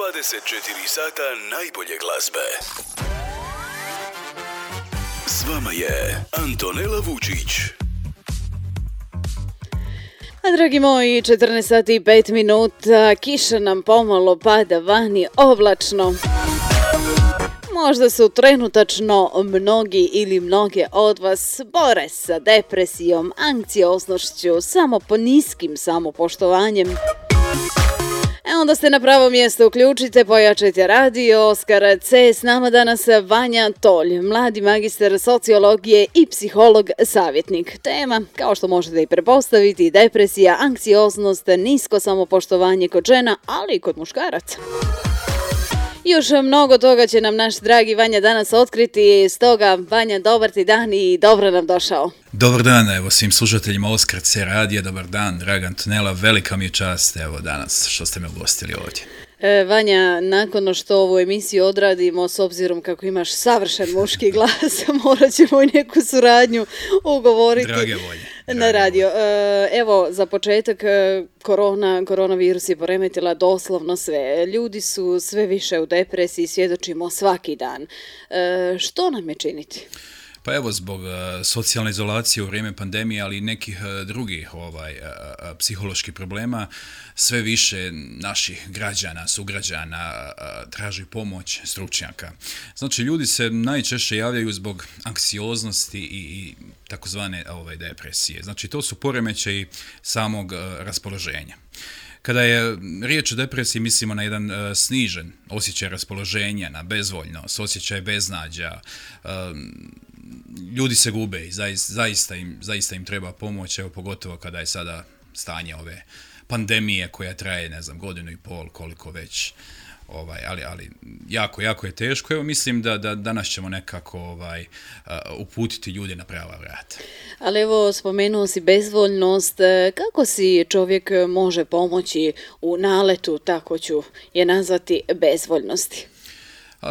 24 sata najbolje glazbe. S vama je Antonela Vučić. A dragi moji, 14 sati i 5 minuta, kiša nam pomalo pada vani, oblačno. Možda su trenutačno mnogi ili mnoge od vas bore sa depresijom, anksioznošću, samo po niskim samopoštovanjem. Onda ste na pravo mjesto, uključite, pojačajte radio. Oskar C. S nama danas Vanja Tolj, mladi magistar sociologije i psiholog savjetnik. Tema, kao što možete i prepostaviti, depresija, anksioznost, nisko samopoštovanje kod žena, ali i kod muškaraca. Još mnogo toga će nam naš dragi Vanja danas otkriti, stoga Vanja, dobar ti dan i dobro nam došao. Dobar dan, evo svim slušateljima Oskar C. radija, dobar dan, draga Antonela, velika mi je čast, evo danas što ste me ugostili ovdje. Vanja, nakon što ovu emisiju odradimo, s obzirom kako imaš savršen muški glas, morat ćemo i neku suradnju ugovoriti. Drage volje. Na radio. Evo, za početak, koronavirus je poremetila doslovno sve. Ljudi su sve više u depresiji, svjedočimo svaki dan. Što nam je činiti? Pa evo, zbog socijalne izolacije u vrijeme pandemije, ali i nekih drugih psiholoških problema, sve više naših građana, sugrađana traži pomoć stručnjaka. Znači, ljudi se najčešće javljaju zbog anksioznosti i takozvane depresije. Znači, to su poremećaji samog raspoloženja. Kada je riječ o depresiji, mislimo na jedan snižen osjećaj raspoloženja, na bezvoljnost, osjećaj beznađa, ljudi se gube i zaista im treba pomoć, evo pogotovo kada je sada stanje ove pandemije koja traje, ne znam, godinu i pol, koliko već, ali jako je teško. Evo mislim da danas ćemo nekako uputiti ljude na prava vrata. Ali evo, spomenuo si bezvoljnost, kako si čovjek može pomoći u naletu, tako ću je nazvati, bezvoljnosti?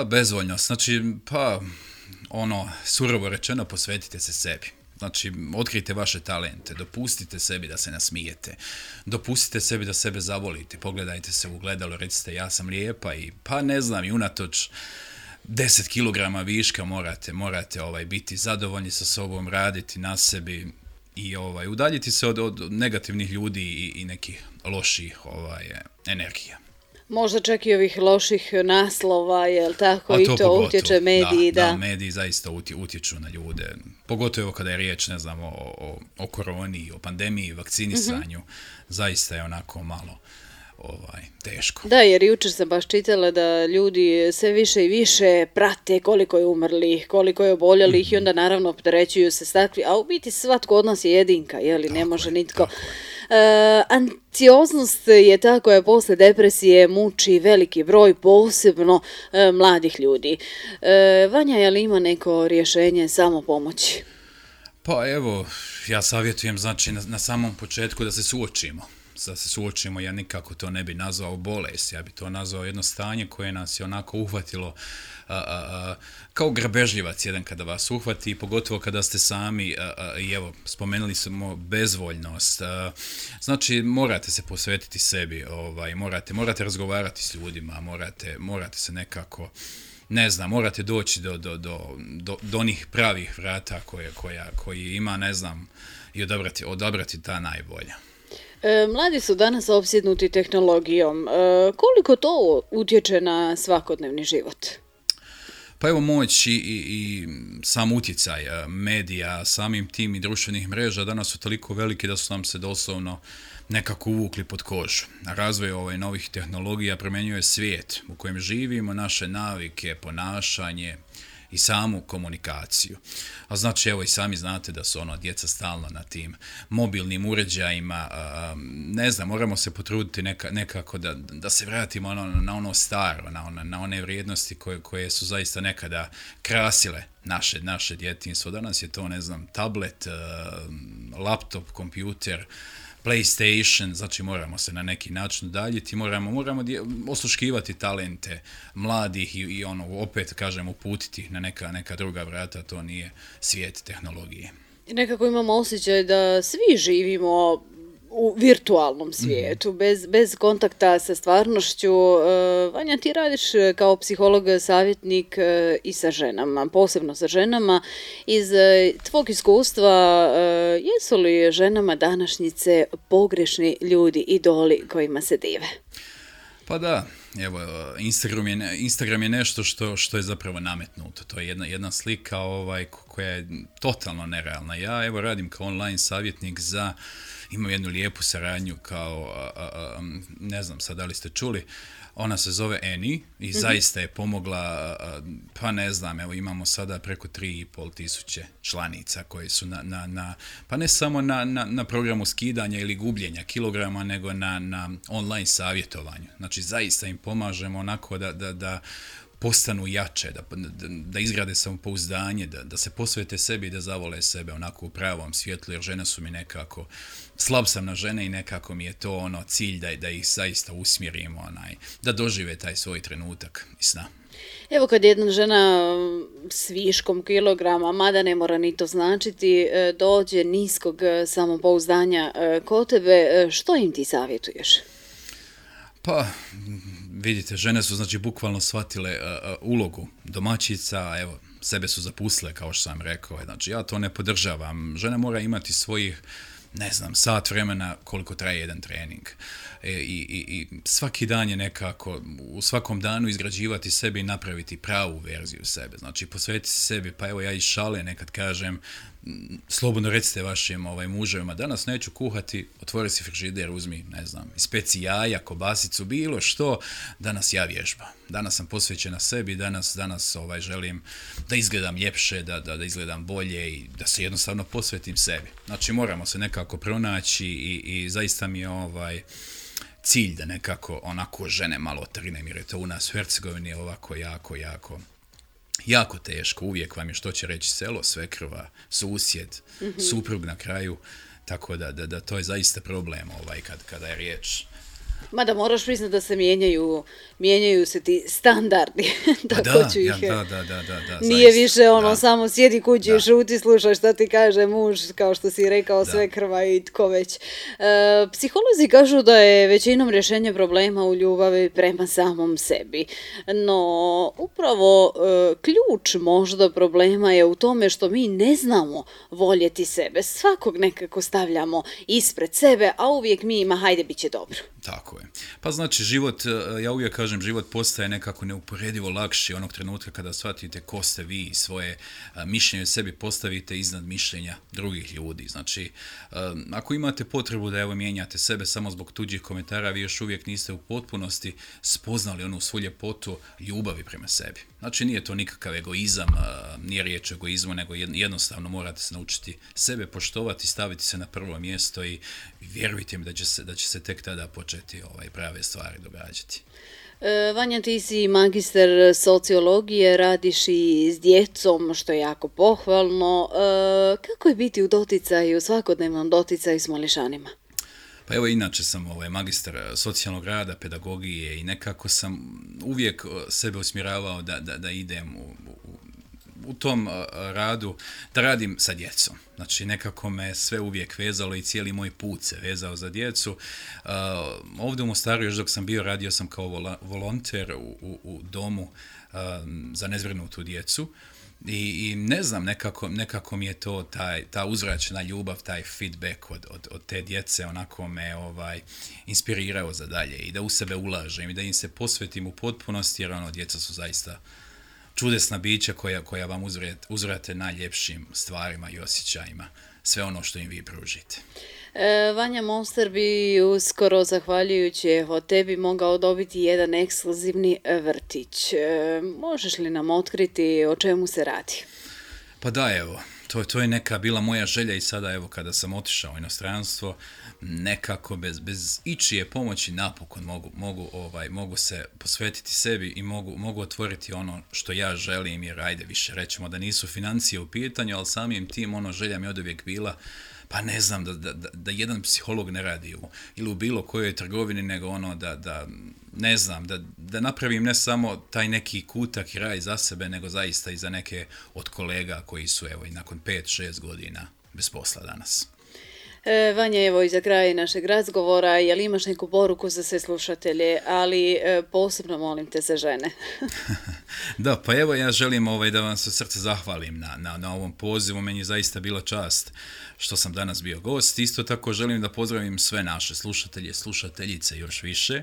Bezvoljnost, znači, surovo rečeno, posvetite se sebi. Znači, otkrijte vaše talente, dopustite sebi da se nasmijete, dopustite sebi da sebe zavolite, pogledajte se u ogledalo, recite ja sam lijepa i i unatoč 10 kilograma viška morate biti zadovoljni sa sobom, raditi na sebi i udaljiti se od negativnih ljudi i nekih loših energija. Možda čak i ovih loših naslova, jel tako, i to utječe mediji. Da, mediji zaista utječu na ljude, pogotovo kada je riječ, ne znam, o koroni, o pandemiji, vakcinisanju, zaista je onako malo teško. Da, jer jučer sam baš čitala da ljudi sve više i više prate koliko je umrlih, koliko je oboljelih i onda naravno opterećuju se s takvi, a u biti svatko od nas je jedinka, jeli, ne može nitko. Anksioznost je ta koja posle depresije muči veliki broj, posebno mladih ljudi. Vanja, je li ima neko rješenje samopomoći? Pa evo, ja savjetujem, znači, na samom početku da se suočimo, ja nikako to ne bi nazvao bolest, ja bi to nazvao jedno stanje koje nas je onako uhvatilo kao grabežljivac jedan kada vas uhvati, pogotovo kada ste sami, i evo, spomenuli smo bezvoljnost, znači morate se posvetiti sebi, morate razgovarati s ljudima, morate se nekako, ne znam, morate doći do onih pravih vrata koji ima, ne znam, i odabrati ta najbolja. Mladi su danas opsjednuti tehnologijom. Koliko to utječe na svakodnevni život? Pa evo, moć i sam utjecaj medija, samim tim i društvenih mreža danas su toliko veliki da su nam se doslovno nekako uvukli pod kožu. Razvoj novih tehnologija promijenjuje svijet u kojem živimo, naše navike, ponašanje i samu komunikaciju. A znači, evo, i sami znate da su djeca stalno na tim mobilnim uređajima, ne znam, moramo se potruditi nekako da se vratimo na ono staro, na one vrijednosti koje su zaista nekada krasile naše djetinjstvo. Danas je to, ne znam, tablet, laptop, kompjuter, PlayStation, znači moramo se na neki način udaljiti, moramo osluškivati talente mladih i opet kažem uputiti na neka druga vrata, to nije svijet tehnologije. I nekako imamo osjećaj da svi živimo u virtualnom svijetu, bez kontakta sa stvarnošću. Vanja, ti radiš kao psiholog, savjetnik i sa ženama, posebno sa ženama. Iz tvog iskustva, jesu li ženama današnjice pogrešni ljudi, idoli kojima se dive? Pa da, evo, Instagram je nešto što je zapravo nametnuto. To je jedna slika koja je totalno nerealna. Ja evo radim kao online savjetnik imam jednu lijepu saradnju kao, ne znam sad da li ste čuli, ona se zove Annie i zaista je pomogla, pa ne znam, evo imamo sada preko 3.500 članica koji su pa ne samo na programu skidanja ili gubljenja kilograma, nego na online savjetovanju. Znači zaista im pomažemo onako da postanu jače, da izgrade samopouzdanje, da se posvete sebi i da zavole sebe onako u pravom svjetlu, jer žene su mi nekako, slab sam na žene i nekako mi je to cilj da ih zaista usmjerimo, da dožive taj svoj trenutak i sna. Evo kad jedna žena s viškom kilograma, mada ne mora ni to značiti, dođe niskog samopouzdanja kod tebe, što im ti savjetuješ? Pa, vidite, žene su znači bukvalno shvatile ulogu domaćica, evo, sebe su zapustile, kao što sam rekao, znači ja to ne podržavam. Žena mora imati svojih, ne znam, sat vremena koliko traje jedan trening. I svaki dan je nekako, u svakom danu izgrađivati sebe i napraviti pravu verziju sebe. Znači, posvetiti se sebi, pa evo ja iz šale nekad kažem, slobodno recite vašim muževima, danas neću kuhati, otvori si frižider, uzmi, ne znam, ispeci jaja, kobasicu, bilo što, danas ja vježbam. Danas sam posvećena sebi, danas želim da izgledam ljepše, da izgledam bolje i da se jednostavno posvetim sebi. Znači, moramo se nekako pronaći i zaista mi je cilj da nekako onako žene malo otrinem, jer je to u nas u Hercegovini ovako jako teško, uvijek vam je što će reći selo, svekrva, susjed, suprug na kraju, tako da to je zaista problem kada je riječ. Mada moraš priznati da se mijenjaju se ti standardi. Da, nije više samo sjedi kući i šuti, slušaj šta ti kaže muž, kao što si rekao, svekrva i tko već. Psiholozi kažu da je većinom rješenje problema u ljubavi prema samom sebi. No, upravo ključ možda problema je u tome što mi ne znamo voljeti sebe. Svakog nekako stavljamo ispred sebe, a uvijek mi ima hajde bit će dobro. Tako je. Pa znači život, ja uvijek kažem, život postaje nekako neuporedivo lakši onog trenutka kada shvatite ko ste vi i svoje mišljenje o sebi postavite iznad mišljenja drugih ljudi. Znači, ako imate potrebu da mijenjate sebe samo zbog tuđih komentara, vi još uvijek niste u potpunosti spoznali onu svu ljepotu ljubavi prema sebi. Znači, nije to nikakav egoizam, nije riječ o egoizmu, nego jednostavno morate se naučiti sebe poštovati, staviti se na prvo mjesto i vjerujte mi da će se tek tada početi prave stvari događati. Vanja, ti si magister sociologije, radiš i s djecom, što je jako pohvalno. Kako je biti u doticaju, svakodnevnom doticaju s mališanima? Pa evo, inače sam magistar socijalnog rada, pedagogije i nekako sam uvijek sebe usmjeravao da idem u tom radu, da radim sa djecom. Znači, nekako me sve uvijek vezalo i cijeli moj put se vezao za djecu. Ovdje u Mostaru, još dok sam bio, radio sam kao volonter u domu za nezbrinutu djecu. I ne znam, nekako mi je to ta uzvraćena ljubav, taj feedback od te djece onako me inspirirao za dalje i da u sebe ulažem i da im se posvetim u potpunosti, jer djeca su zaista čudesna bića koja vam uzvrate najljepšim stvarima i osjećajima, sve ono što im vi pružite. Vanja, Mostar bi uskoro, zahvaljujući tebi, mogao dobiti jedan ekskluzivni vrtić. Možeš li nam otkriti o čemu se radi? Pa da, evo, to je neka bila moja želja i sada, evo, kada sam otišao u inostranstvo, nekako bez ičije pomoći napokon mogu se posvetiti sebi i mogu otvoriti ono što ja želim, jer ajde više rećemo da nisu financije u pitanju, ali samim tim želja mi je oduvijek bila, pa ne znam, da jedan psiholog ne radi ili u bilo kojoj trgovini, nego ne znam, da napravim ne samo taj neki kutak i raj za sebe, nego zaista i za neke od kolega koji su, evo, i nakon 5-6 godina bez posla danas. Vanja, evo i za kraj našeg razgovora, je li imaš neku poruku za sve slušatelje, ali posebno molim te za žene. Da, pa evo ja želim da vam se od srca zahvalim na ovom pozivu, meni je zaista bila čast što sam danas bio gost. Isto tako želim da pozdravim sve naše slušatelje, slušateljice još više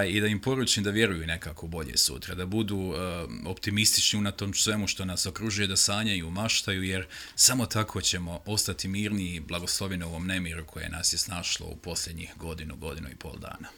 i da im poručim da vjeruju nekako bolje sutra, da budu optimistični unatoč svemu što nas okružuje, da sanjaju, maštaju, jer samo tako ćemo ostati mirni i blagosloveni u ovom nemiru koje nas je snašlo u posljednjih godinu i pol dana.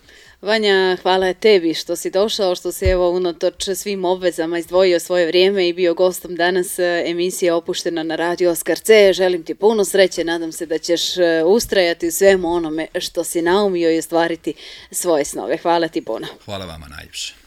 Vanja, hvala tebi što si došao, što si evo unatoč svim obvezama izdvojio svoje vrijeme i bio gostom danas emisije Opuštena na Radio Oskar C. Želim ti puno sreće, nadam se da ćeš ustrajati u svemu onome što si naumio i ostvariti svoje snove. Hvala ti puno. Hvala vama najljepše.